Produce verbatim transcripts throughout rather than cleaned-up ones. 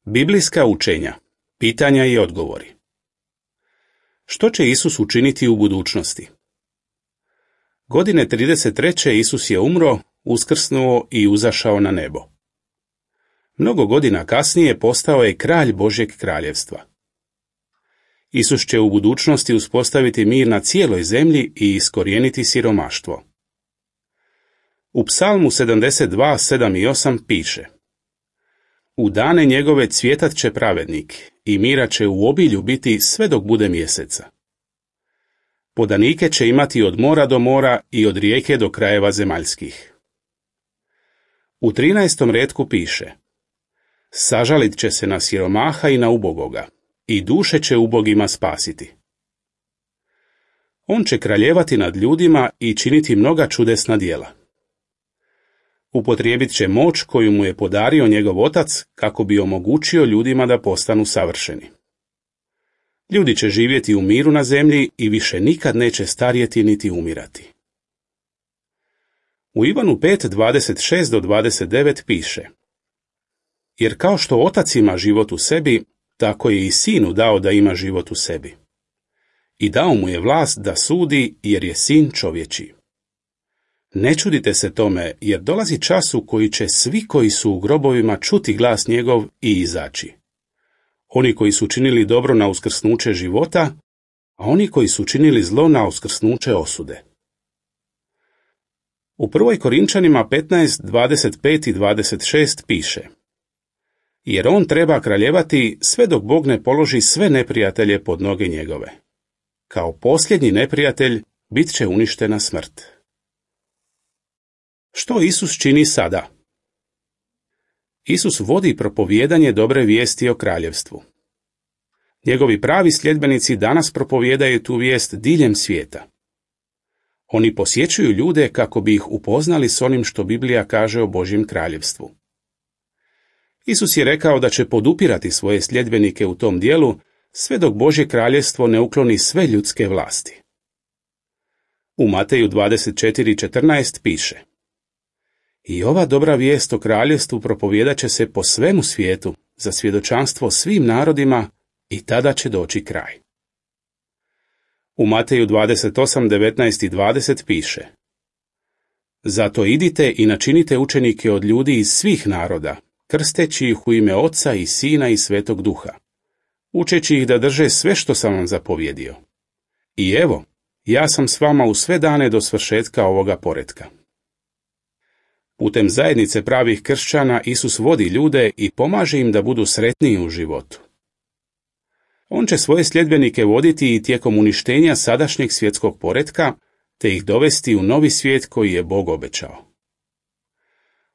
Biblijska učenja, pitanja i odgovori. Što će Isus učiniti u budućnosti? Godine trideset treće Isus je umro, uskrsnuo i uzašao na nebo. Mnogo godina kasnije postao je kralj Božjeg kraljevstva. Isus će u budućnosti uspostaviti mir na cijeloj zemlji i iskorijeniti siromaštvo. U Psalmu sedamdeset dva, sedam i osam piše: U dane njegove cvjetat će pravednik i mira će u obilju biti sve dok bude mjeseca. Podanike će imati od mora do mora i od rijeke do krajeva zemaljskih. U trinaestom retku piše: Sažalit će se na siromaha i na ubogoga, i duše će ubogima spasiti. On će kraljevati nad ljudima i činiti mnoga čudesna djela. Upotrijebit će moć koju mu je podario njegov otac kako bi omogućio ljudima da postanu savršeni. Ljudi će živjeti u miru na zemlji i više nikad neće starjeti niti umirati. U Ivanu pet, dvadeset šest do dvadeset devet piše: Jer kao što otac ima život u sebi, tako je i sinu dao da ima život u sebi. I dao mu je vlast da sudi, jer je sin čovječiji. Ne čudite se tome, jer dolazi čas u koji će svi koji su u grobovima čuti glas njegov i izaći. Oni koji su činili dobro na uskrsnuće života, a oni koji su činili zlo na uskrsnuće osude. U prvoj Korinčanima petnaest, dvadeset pet i dvadeset šest piše: Jer on treba kraljevati sve dok Bog ne položi sve neprijatelje pod noge njegove. Kao posljednji neprijatelj bit će uništena smrt. Što Isus čini sada? Isus vodi propovijedanje dobre vijesti o kraljevstvu. Njegovi pravi sljedbenici danas propovijedaju tu vijest diljem svijeta. Oni posjećuju ljude kako bi ih upoznali s onim što Biblija kaže o Božjem kraljevstvu. Isus je rekao da će podupirati svoje sljedbenike u tom dijelu sve dok Božje kraljevstvo ne ukloni sve ljudske vlasti. U Mateju dvadeset četiri, četrnaest piše: I ova dobra vijest o kraljevstvu propovijedat će se po svemu svijetu za svjedočanstvo svim narodima i tada će doći kraj. U Mateju dvadeset osam, devetnaest i dvadeset piše: Zato idite i načinite učenike od ljudi iz svih naroda, krsteći ih u ime Oca i Sina i Svetog Duha, učeći ih da drže sve što sam vam zapovjedio. I evo, ja sam s vama u sve dane do svršetka ovoga poretka. Putem zajednice pravih kršćana Isus vodi ljude i pomaže im da budu sretniji u životu. On će svoje sljedbenike voditi i tijekom uništenja sadašnjeg svjetskog poretka, te ih dovesti u novi svijet koji je Bog obećao.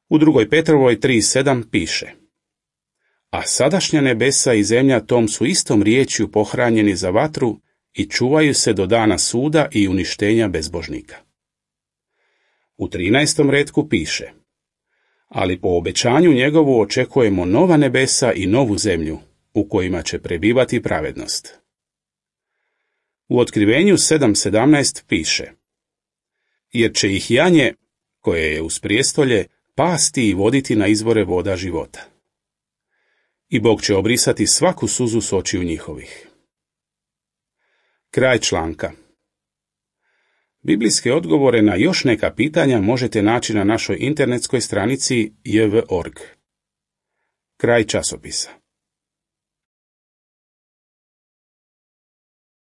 U drugoj Petrovoj tri sedam piše: A sadašnja nebesa i zemlja tom su istom riječju pohranjeni za vatru i čuvaju se do dana suda i uništenja bezbožnika. U trinaestom retku piše: Ali po obećanju njegovu očekujemo nova nebesa i novu zemlju, u kojima će prebivati pravednost. U Otkrivenju sedam sedamnaest piše: Jer će ih janje, koje je uz prijestolje, pasti i voditi na izvore voda života. I Bog će obrisati svaku suzu s očiju njihovih. Kraj članka. Biblijske odgovore na još neka pitanja možete naći na našoj internetskoj stranici j v точка org. Kraj časopisa.